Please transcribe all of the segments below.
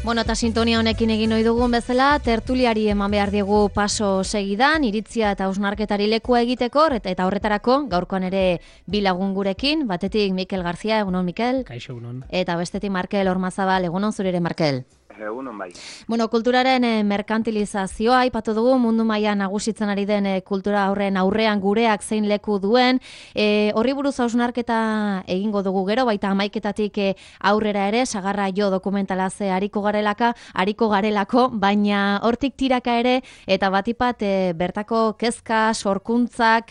Bueno, eta sintonia honekin egin ohi dugun bezala, tertuliari eman behar diegu paso segidan, iritzia eta hausnarketari lekua egiteko, eta horretarako, gaurkoan ere bi lagun gurekin, batetik Mikel Garzia, egunon Mikel. Kaixo, egunon. Eta bestetik Markel Ormazabal, egunon zure ere Markel. Egunon bai. Bueno, kulturaren merkantilizazioa aipatu dugu, mundu mailan nagusitzen ari den kultura aurrean gureak zein leku duen. Horri buruz hausnarketa egingo dugu gero, baita 11:00 aurrera ere, Sagarra jo dokumentalaz ariko garelako, baina hortik tiraka ere, eta batipat bertako kezka, sorkuntzak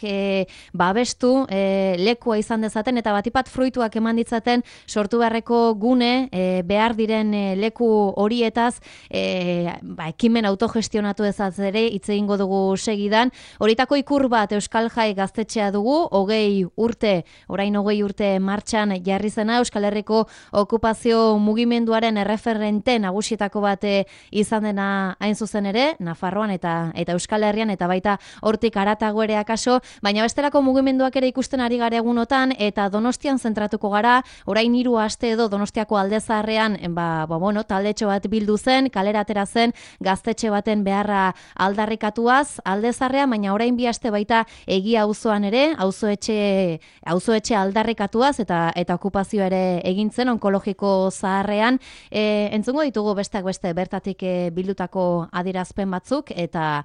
babestu lekua izan dezaten, eta batipat fruituak eman ditzaten sortu beharreko gune, behar diren leku horietaz, ekimen autogestionatu ezaz ere hitz egingo dugu segidan. Horitako ikur bat Euskal Jai gaztetxea dugu, 20 urte martxan jarri zena, Euskal Herriko okupazio mugimenduaren erreferente nagusietako bat izan dena hain zuzen ere, Nafarroan eta Euskal Herrian, eta baita hortik haratago ere akaso, baina bestelako mugimenduak ere ikusten ari gara egunotan, eta Donostian zentratuko gara, orain 3 aste edo Donostiako Alde Zaharrean, taldetxo bat bildu zen, kalera atera zen gaztetxe baten beharra aldarrikatuaz, Alde Zaharrean, baina orain 2 aste baita Egia auzoan ere, auzoetxe aldarrikatuaz eta okupazioa ere egin zen onkologiko zaharrean. Entzungo ditugu besteak beste bertatik bildutako adierazpen batzuk eta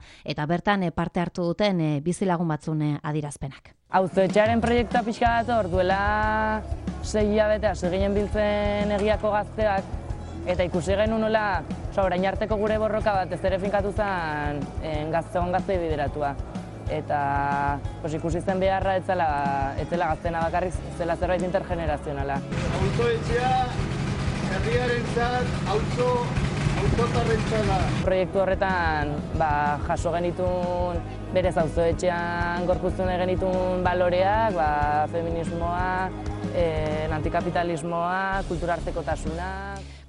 bertan parte hartu duten bizilagun batzun adierazpenak. Auzoetxearen proiektua pixka dator, duela 6 hilabete hasi ginen biltzen Egiako gazteak, eta ikusi genuen nola, orain arteko gure borroka bat ez ere finkatu zen gaztei bideratua. Eta ikusi zen beharra ez zela gaztena bakarrik, zela zerbait intergenerazionala. Auzoetxea herriarentzat, auzotarrentzat da. Proiektu horretan jaso genituen berez auzoetxean gorpuztu genituen baloreak, feminismoa, antikapitalismoa, kulturartekotasuna.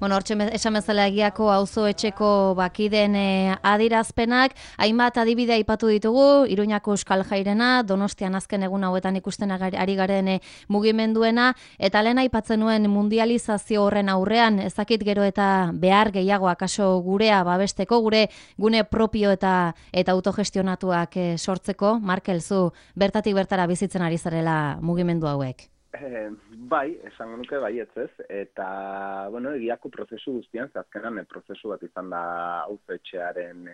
Bueno, hortxe esan bezala Egiako auzoetxeko bakiden adierazpenak, hainbat adibide aipatu ditugu, Iruñako Euskal Jairena, Donostian azken egun hauetan ikusten ari garen mugimenduena, eta lehen aipatzen nuen mundializazio horren aurrean, ezakit gero eta behar gehiago akaso gurea babesteko, gure gune propio eta autogestionatuak sortzeko. Markel, zu bertatik bertara bizitzen ari zarela mugimendu hauek? Bai, esango nuke baietz ez, eta, Egiako prozesu guztian, azkenan prozesu bat izan da auzoetxearen,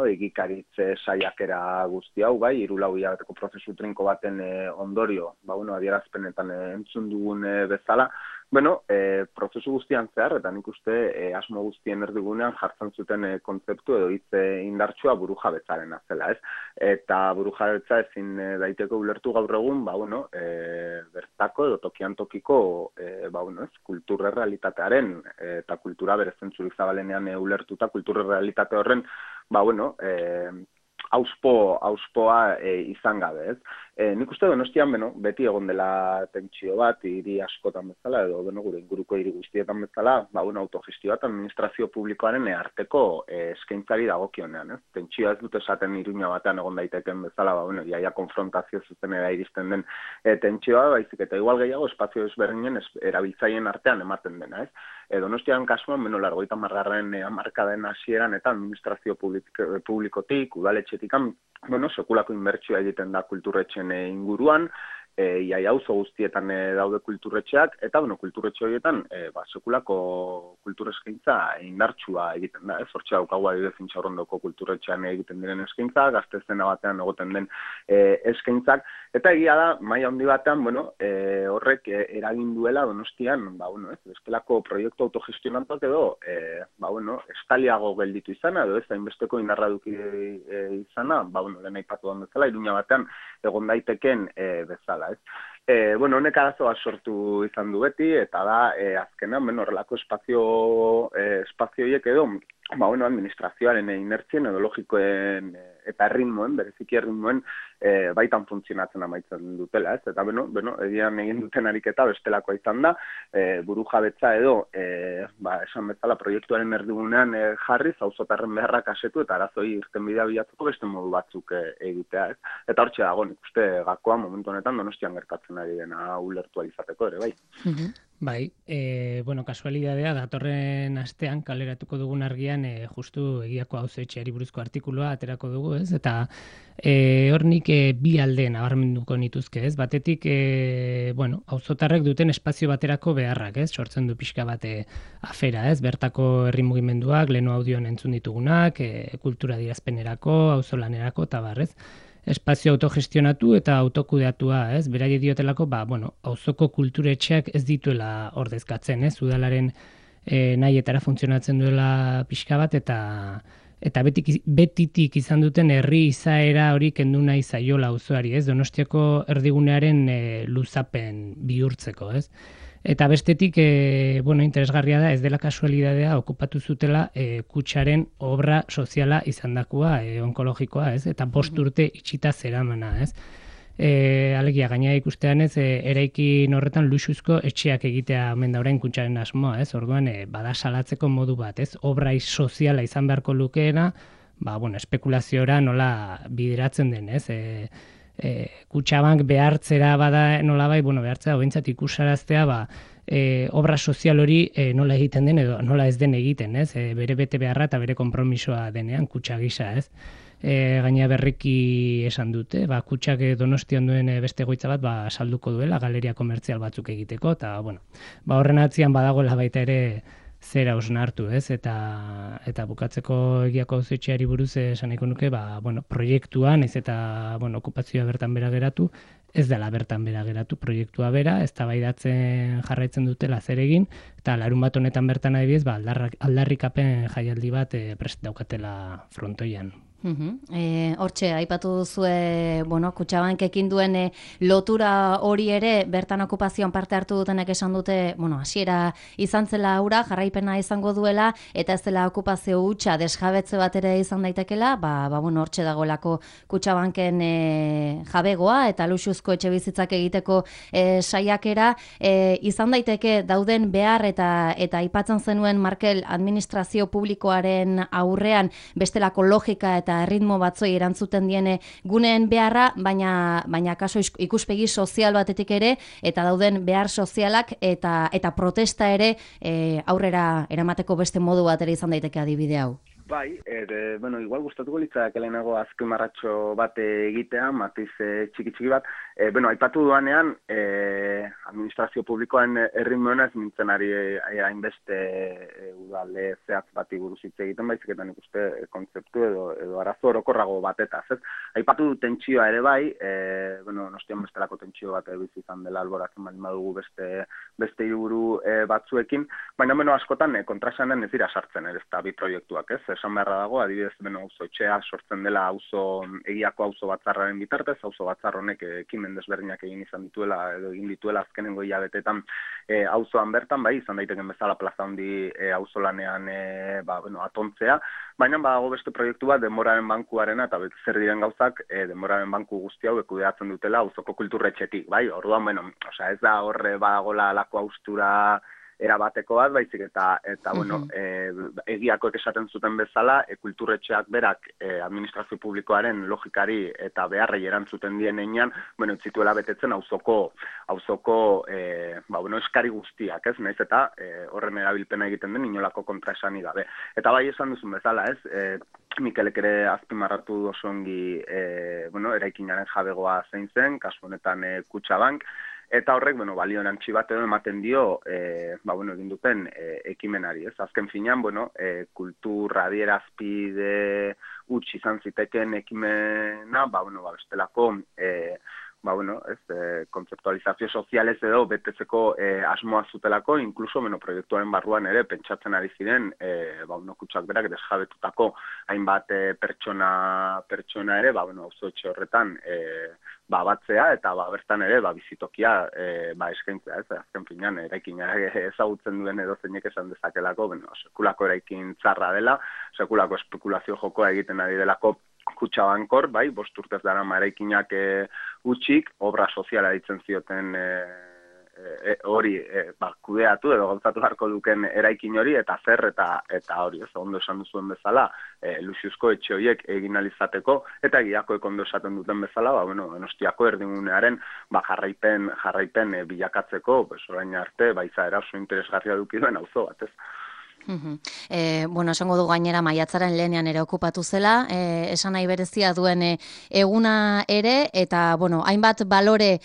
egikaritze saiakera guzti hau, bai, 3-4 hilabeteko prozesu trinko baten ondorio, adierazpenetan entzun dugun bezala, prozesu guztian zehar, eta nik uste asmo guztien erdigunean jartzen zuten kontzeptu edo hitz indartsua burujabetzaren azela, ez? Eta burujabetza ezin daiteko ulertu gaur egun, bertako edo tokian tokiko, kultura realitatearen eta kultura bere zentzurik zabalenean ulertuta kultura realitate horren, auspoa izan gabe, ez? Nik uste Donostian, beti egon dela tentsio bat, hiri askotan bezala, edo gure inguruko hiri guztietan bezala, autogestio bat administrazio publikoaren arteko eskaintzari dagokionean, ez? Tentsioa ez dut esaten Iruña batean egon daiteken bezala, jaia konfrontazio zuzenera iristen den tentsioa, baizik eta igual gehiago espazio ezberdinen erabiltzaileen artean ematen dena, ez? Donostian kasuan, 80. hamarkadaren hasieran eta administrazio publikotik, udaletxetik, sekulako inbertsioa egiten da kulturretxen inguruan, iaia auzo guztietan daude kulturretxeak, eta kulturretxe horietan sekulako kultureskaintza indartsua egiten da, ez? Hortxe daukagu adibidez Intxaurrondoko kulturretxean egiten diren eskaintza, Gazte zena batean egoten den eskaintzak, eta egia da, maila handi batean, horrek eragin duela Donostian, bestelako proiektu autogestionatuak edo, estaliago gelditu izana, edo ez hainbesteko indarra duki izana, lehen aipatu den bezala, Iruña batean egon daiteken bezala, ez? Honek arazoa sortu izan du beti, eta da, azkenan, horrelako espazio horiek edo, administrazioaren inertzien edo logikoen eta erritmoen, bereziki erritmoen, baitan funtzionatzen amaitzen dutela, ez? Eta, egian egin duten ariketa bestelakoa izan da, burujabetza edo, esan bezala, proiektuaren erdigunean jarriz, auzotarren beharrak asetu eta arazoi irtenbidea bilatzeko beste modu batzuk egitea, ez? Eta hortxe dago, nik uste gakoa momentu honetan Donostian gertatzen ari dena ulertu alizateko ere, bai. Bai, bueno, kasualidadea datorren astean kaleratuko dugun argian justu egiako auzoetxeari buruzko artikulua aterako dugu, ez? Eta hor nik bi alde nabarmenduko nituzke, ez? Batetik, bueno, auzotarrek duten espazio baterako beharrak, ez? Sortzen du pixka bate afera, ez? Bertako herri mugimenduak, leheno audioan entzun ditugunak, kultura dirazpenerako, auzolanerako, eta bar, ez? Espazio autogestionatu eta autokudeatua, ez? Beraiek diotelako, bueno, auzoko kulturetxeak ez dituela ordezkatzen, ez? Udalaren nahietara funtzionatzen duela pixka bat eta betitik izan duten herri izaera hori kendu nahi zaiola auzoari, ez? Donostiako erdigunearen luzapen bihurtzeko, ez? Eta bestetik, bueno, interesgarria da, ez dela kasualidadea okupatu zutela kutxaren obra soziala izandakoa, onkologikoa, ez? Eta 5 urte itxita zeramana, ez? Alegia, gaina ikustean ez, eraikin horretan luxuzko etxeak egitea omen da orain kutxaren asmoa, ez? Orduan, bada salatzeko modu bat, ez? Obra soziala izan beharko lukeena, bueno, espekulaziora nola bideratzen den, ez? Kutxabank behartzera bada nolabai, bueno, behartzera behintzat ikusaraztea, obra sozial hori nola egiten den edo nola ez den egiten, ez? Bere bete beharra eta bere konpromisoa denean kutxa gisa, ez? Gaina berriki esan dute, kutxak Donostian duen beste egoitza bat salduko duela galeria komertzial batzuk egiteko, eta bueno, horren atzian badagoela baita ere zera osnartu, ez? Eta bukatzeko egiako auzoetxeari buruz esan nahiko nuke, bueno, proiektua, naiz eta bueno, okupazioa bertan bera geratu, ez dela bertan bera geratu proiektua bera, eztabaidatzen jarraitzen dutela zer egin, eta larunbat honetan bertan adibidez, aldarrikapen jaialdi bat prest daukatela frontoian. Hortxe, aipatu duzue, bueno, Kutxabankekin duen lotura hori ere, bertan okupazioan parte hartu dutenek esan dute, bueno, hasiera izan zela aura, jarraipena izango duela, eta ez dela okupazio hutsa desjabetze bat ere izan daitekela, bueno, hortxe dagoelako Kutxabanken jabegoa, eta luxuzko etxe bizitzak egiteko saiakera, izan daiteke dauden behar eta aipatzen zenuen Markel administrazio publikoaren aurrean bestelako logika eta ritmo batzoi erantzuten diene guneen beharra, baina kaso ikuspegi sozial batetik ere, eta dauden behar sozialak eta protesta ere aurrera eramateko beste modu bat ere izan daiteke adibide hau. Bai, bueno, igual gustatuko litzak lehenago azpimarratxo bat egitea, matiz txiki bat. Bueno, aipatu duanean, administrazio publikoan erritmoena ez nintzen ari hainbeste udale zehatz bati buruz hitz egiten, baizik eta nik uste kontzeptu edo arazo orokorrago batetaz, ez? Aipatu du tentsioa ere bai, bueno, Donostian bestelako tentsio bat bizi izan dela alboratzen baldin badugu beste hiriburu batzuekin, baina bueno, askotan kontraesanen ez dira sartzen ere ezta bi proiektuak, ez? Esan beharra dago, adibidez, auzoetxea sortzen dela egiako auzo batzarraren bitartez, auzo batzar honek ekimen desberdinak egin izan dituela edo egin dituela azkenengo hilabetetan auzoan bertan, bai, izan daiteken bezala plaza handi auzolanean bueno, atontzea, baina badago beste proiektu bat denboraren bankuarena eta zer diren gauzak denboraren banku guzti hau kudeatzen dutela auzoko kulturretxetik, bai, orduan, bueno, ez da horre badagola alako austura erabateko bat, baizik eta bueno, egiakoek esaten zuten bezala, kulturretxeak berak administrazio publikoaren logikari eta beharrei erantzuten dien einean, bueno, zituela betetzen auzoko bueno, eskari guztiak, ez, naiz eta horren erabilpena egiten den inolako kontraesani gabe. Eta bai esan duzun bezala, ez, Mikelek ere azpimarratu oso ongi, bueno, eraikinaren jabegoa zein zen, kasu honetan Kutxabank, eta horrek, bueno, balio erantzi bat edo ematen dio, bueno, egin duten ekimenari, ez? Azken finean, bueno, kultura adierazpide huts izan ziteken ekimena, bueno, bestelako, bueno, kontzeptualizazio sozialez edo betetzeko asmoa zutelako, inkluso, bueno, proiektuaren barruan ere pentsatzen ari ziren, bueno, Kutxak berak desjabetutako hainbat pertsona ere, bueno, auzoetxe horretan, batzea eta bertan ere bizitokia eskaintzea, ez? Azken finean eraikina ezagutzen duen edo zeinek esan dezakelako, bueno, sekulako eraikin txarra dela, sekulako espekulazio jokoa egiten ari delako Kutxabankor, bai, 5 urtez darama eraikinak utxik, obra soziala ditzen zioten hori kudeatu edo gauzatu beharko duken eraikin hori eta zer eta hori, ez ondo esan duzuen bezala, luxuzko etxe horiek egin alizateko eta egiakoek ondo esaten duten bezala, Donostiako erdigunearen jarraipen bilakatzeko, orain arte, izaera oso interesgarria eduki duen auzo bat, ez? Esango du gainera maiatzaren lehenean ere okupatu zela, esan nahi berezia duen eguna ere, eta, hainbat balore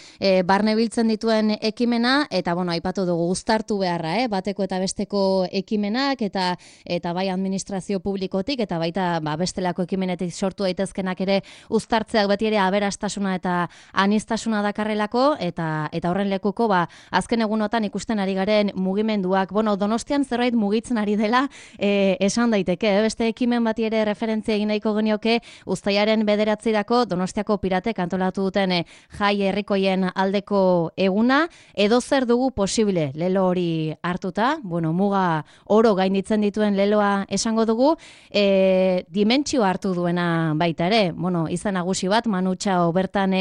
barne biltzen dituen ekimena, eta, aipatu dugu uztartu beharra, bateko eta besteko ekimenak, eta bai administrazio publikotik, eta baita bestelako ekimenetik sortu daitezkenak ere uztartzeak beti ere aberastasuna eta aniztasuna dakarrelako, eta horren lekuko, azken egunotan ikusten ari garen mugimenduak, Donostian zerbait mugitzen ari dela, esan daiteke, beste ekimen bati ere referentzia egin nahiko genioke uztailaren 9 Donostiako piratek antolatu duten jai herrikoien aldeko eguna, edo zer dugu posible lelo hori hartuta, muga oro gainditzen dituen leloa esango dugu, dimentsio hartu duena baita ere, izan nagusi bat, Manu Txao bertan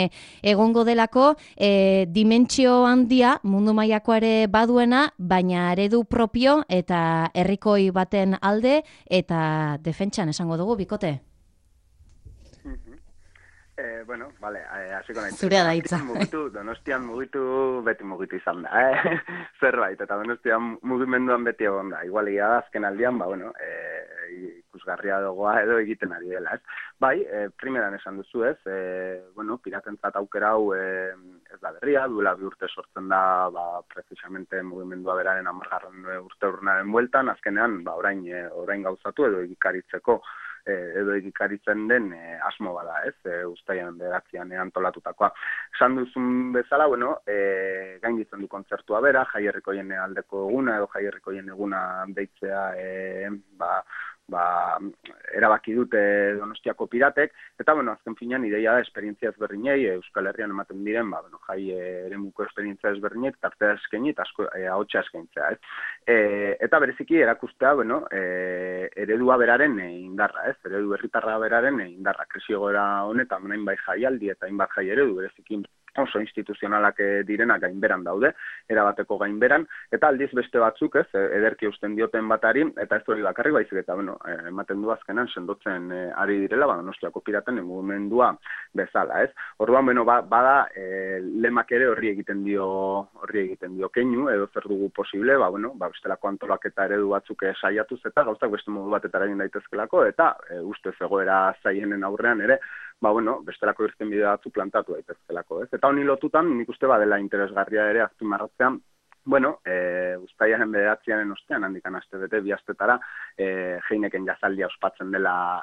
egongo delako, dimentsio handia mundu mailakoa ere baduena, baina eredu propio eta herrikoi baten alde eta defentsan esango dugu, bikote? Hasiko nahi. Zurea da hitza. Donostian mugitu, beti mugitu izan da, zerbait, eta Donostian mugimenduan beti egon da. Igualia da, azken aldian, ikusgarria dagoa edo egiten ari dela, ez? Primeran esan duzu, ez? Piratentzat aukera hau ez da berria, duela 2 urte sortzen da, precisamente mugimendua beraren 10. urte urnaren bueltan, azkenean, orain gauzatu edo egikaritzeko edo egikaritzen den asmo bada, ez? Uztailean 9 antolatutakoa. Esan duzun bezala, gainditzen du kontzertua bera, jai herrikoien aldeko eguna edo jai herrikoien eguna deitzea erabaki dute Donostiako piratek, eta azken finean ideia da esperientzia ezberdinei, Euskal Herrian ematen diren, jai eremuko esperientzia ezberdinei, tartea eskaini eta ahotsa eskaintzea, ez? Eta bereziki erakustea, eredua beraren indarra, ez? Eredu herritarra beraren indarra, krisi egoera honetan, hainbat jaialdi eta hainbat jai eredu, bereziki oso instituzionalak direnak gainberan daude, erabateko gainberan, eta aldiz beste batzuk, ez, ederki eusten dioten batari, eta ez hori bakarrik baizik, eta ematen du azkenan sendotzen ari direla, Donostiako piraten mugimendua bezala, ez. Orduan, bada lemak ere horri egiten dio keinu, edo zer dugu posible, bestelako antolaketa eredu batzuk saiatuz, eta gauzak beste modu batetara egin daitezkelako, eta ustez egoera zaienen aurrean ere, bestelako irtenbide batzu plantatu daitezkelako, ez? Eta honi lotutan, nik uste badela interesgarria ere azpimarratzean, uztailaren 9 ostean, handikan astebete, 2 astetara, Heineken jazaldia ospatzen dela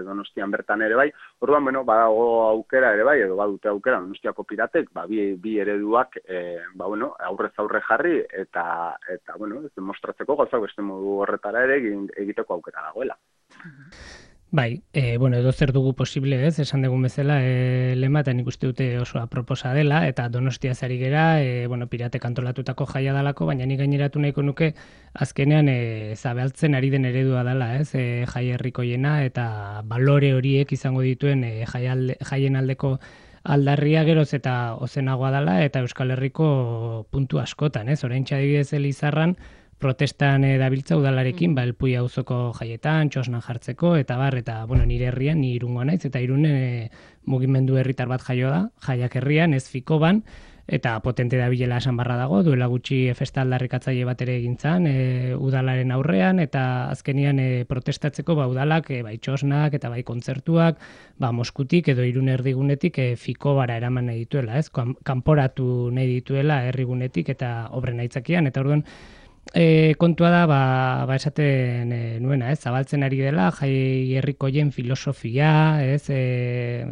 Donostian bertan ere bai. Orduan, badago aukera ere bai, edo badute aukera Donostiako piratek, bi ereduak, aurrez aurre jarri, eta demostratzeko gauzak beste modu horretara ere egiteko aukera dagoela. Edo zer dugu posible, ez, esan dugun bezala, lema, eta nik uste dute oso aproposa dela, eta Donostia zari gera, piratek antolatutako jaia dalako, baina nik gaineratu nahiko nuke, azkenean, zabaltzen ari den eredua dela, ez, jai herrikoiena, eta balore horiek izango dituen jaien aldeko aldarria geroz eta ozenagoa dela, eta Euskal Herriko puntu askotan, ez, oraintxe adibidez Elizarran, protestan dabiltza udalarekin, Elpuia auzoko jaietan, txosnan jartzeko, eta nire herrian, ni Irungoa naiz, eta Irunen mugimendu herritar bat jaio da, jaiak herrian, ez Fikoban, eta potente dabilela esan barra dago, duela gutxi festa aldarrikatzaile bat ere egintzan, udalaren aurrean, eta azkenian protestatzeko udalak, bai txosnak, eta bai kontzertuak, Moskutik edo Irun erdigunetik Fikobara eraman nahi dituela, ez? Kanporatu nahi dituela herrigunetik eta obren aitzakian, eta orduan, kontua da, esaten nuena, ez, zabaltzen ari dela, jai herrikoien filosofia, ez,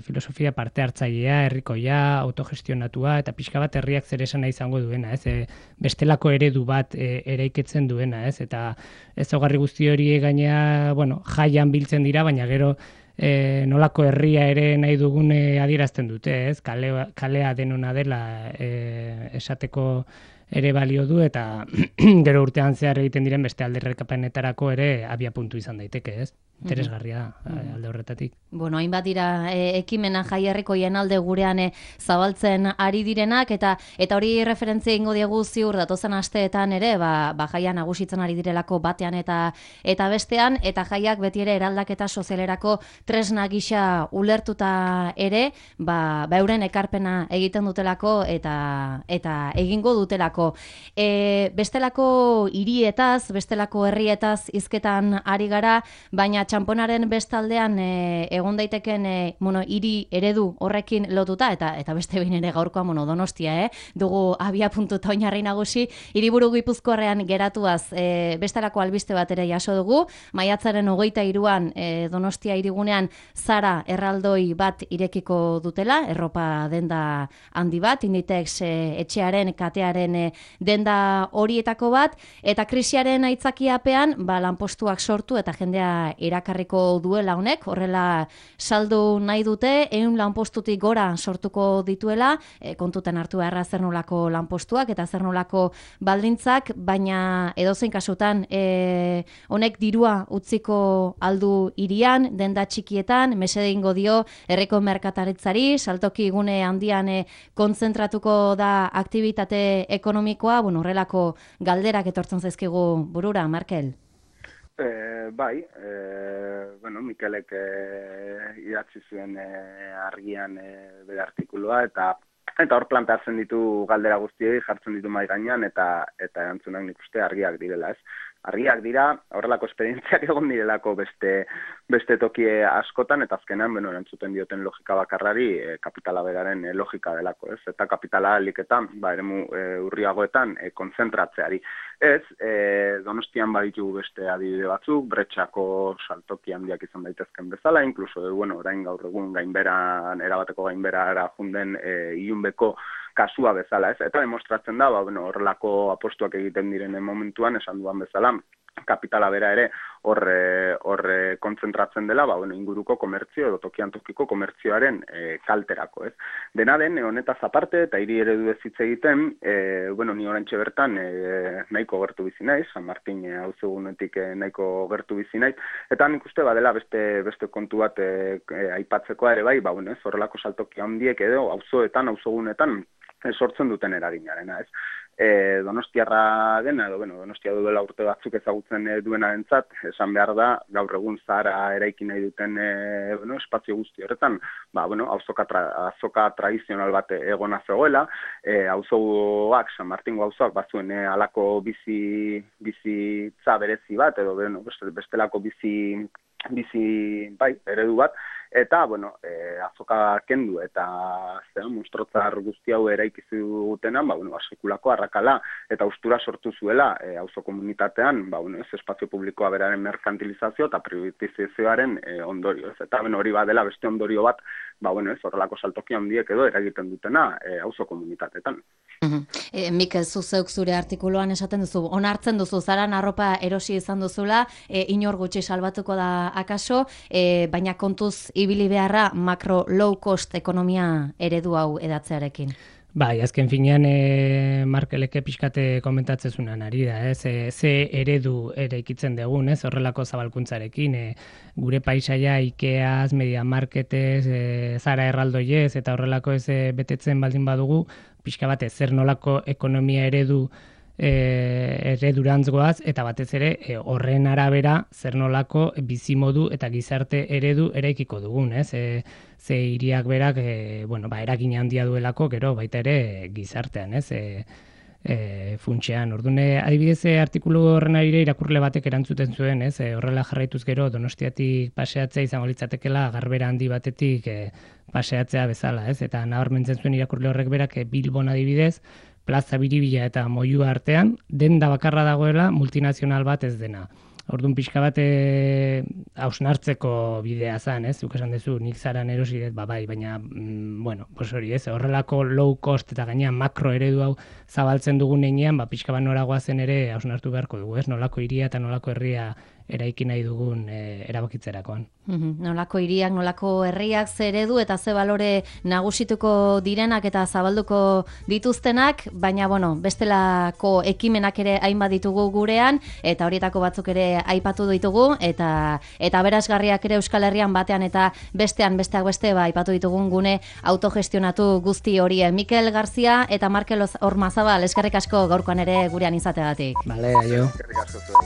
filosofia parte hartzailea, herrikoia, autogestionatua, eta pixka bat herriak zer esana izango duena, ez, bestelako eredu bat eraikitzen duena, ez, eta ez ogarri guzti hori gainea, jaian biltzen dira, baina gero nolako herria ere nahi dugune adierazten dute, ez, kalea denona dela esateko ere balio du, eta gero urtean zehar egiten diren beste alderrekapenetarako ere abia puntu izan daiteke, ez? interesgarria alde horretatik. Bueno, hainbat dira ekimena jaierriko jenalde gurean zabaltzen ari direnak, eta hori referentzia ingo diegu ziur datozen asteetan ere, jaia nagusitzen ari direlako batean eta bestean, eta jaiak beti ere eraldaketa sozialerako tresna gisa ulertuta ere, euren ekarpena egiten dutelako eta egingo dutelako. Bestelako hirietaz, bestelako herrietaz hizketan ari gara, baina txanponaren bestaldean egon daiteken hiri eredu horrekin lotuta, eta beste behin ere gaurkoa Donostia, dugu abia puntuta oinarri nagusi, hiriburu Gipuzkoarrean geratuaz bestelako albiste bat ere jaso dugu, maiatzaren 23an Donostia hirigunean Zara erraldoi bat irekiko dutela, erropa denda handi bat, Inditex etxearen, katearen denda horietako bat, eta krisiaren aitzakiapean lanpostuak sortu eta jendea erakarriko duela honek, horrela saldu nahi dute, 100 lanpostutik gora sortuko dituela, kontuten hartu beharra zer nolako lanpostuak eta zer nolako baldintzak, baina edozein kasutan honek dirua utziko aldu hirian, denda txikietan, mesede ingo dio herriko merkataritzari, saltoki gune handian kontzentratuko da aktibitate ekonomikoa, horrelako galderak etortzen zaizkigu burura, Markel? Mikelek idatzi zuen argian bere artikulua, eta hor planteatzen ditu galdera guztiei, jartzen ditu mahai gainean, eta erantzunak nik uste argiak direla, ez? Argiak dira, horrelako esperientziak egon direlako beste tokie askotan, eta azkenan, erantzuten dioten logika bakarrari kapitala beraren logika delako, ez? Eta kapitala liketan, eremu urriagoetan konzentratzeari. Ez, Donostian baditugu beste adibide batzuk, Bretxako saltoki handiak izan daitezken bezala, inkluso, orain gaur egun erabateko gainberara junden ilunbeko kasua bezala, ez? Eta demostratzen da, horrelako apostuak egiten diren momentuan, esan duan bezala, kapitala bera ere hor kontzentratzen dela, inguruko komertzio edo tokian tokiko komertzioaren kalterako, ez? Dena den, honetaz aparte, eta hiri eredu ez hitz egiten, ni orantxe bertan nahiko gertu bizi naiz, San Martin auzogunetik nahiko gertu bizi naiz, eta nik uste badela beste kontu bat aipatzekoa ere bai, horrelako saltoki handiek edo auzogunetan sortzen duten eraginarena, ez? Donostiarra dena, Donostia duela urte batzuk ezagutzen duenarentzat, esan behar da, gaur egun Zara eraiki nahi duten espazio guzti horretan, auzoka tradizional bat egona zegoela, auzoak, San Martingo auzoak bazuen halako bizitza berezi bat, edo bestelako bizi eredu bat, eta, azoka kendu eta monstrotzar guzti hau eraikizu dutenan, sekulako arrakala eta austura sortu zuela auzo komunitatean, espazio publikoa beraren merkantilizazio eta privatizazioaren ondorio. Eta hori badela beste ondorio bat, horrelako saltoki handiek edo eragiten dutena auzo komunitatetan. Mikel, zuzeuk zure artikuluan esaten duzu, onartzen duzu, Zaran arropa erosi izan duzula, inor gutxi salbatuko da akaso, baina kontuz ibili beharra makro low cost ekonomia eredu hau edatzearekin. Bai, azken finean Markeleke pixkate komentatzezunan ari da, ze eredu eraikitzen dugun, horrelako zabalkuntzarekin, gure paisaia Ikeaz, Media Marketez, Zara erraldoiez, eta horrelako ez betetzen baldin badugu, pixka batez, zer nolako ekonomia eredurantz eta batez ere horren arabera zer nolako bizimodu eta gizarte eredu eraikiko dugun, ze hiriak berak eragin handia duelako gero baita ere gizartean, funtsean. Ordune adibidez artikulu horren arire irakurle batek erantzuten zuen, horrela jarraituz gero Donostiatik paseatzea izango litzatekela garbera handi batetik paseatzea bezala, eta nabarmentzen zuen irakurle horrek berak Bilbon adibidez Plaza Biribila eta Moyua artean, denda bakarra dagoela multinazional bat ez dena. Orduan pixka bat hausnartzeko bidea zen, zuk esan duzu, nik Zaran erosi dut, bai, baina, hori horrelako low cost eta gainean makro eredu hau zabaltzen dugun heinean, pixka bat noragoa zen ere hausnartu beharko dugu, nolako hiria eta nolako herria eraiki nahi dugun erabakitzerakoan. Nolako hiriak, nolako herriak, ze eredu eta ze balore nagusituko direnak eta zabalduko dituztenak, baina bestelako ekimenak ere hainbat ditugu gurean, eta horietako batzuk ere aipatu ditugu, eta eta berazgarriak ere Euskal Herrian batean eta besteak beste aipatu ditugun gune autogestionatu guzti horien. Mikel Garzia eta Markel Ormazabal, eskerrik asko gaurkoan ere gurean izateagatik. Bale, aio. Eskerrik asko zuei.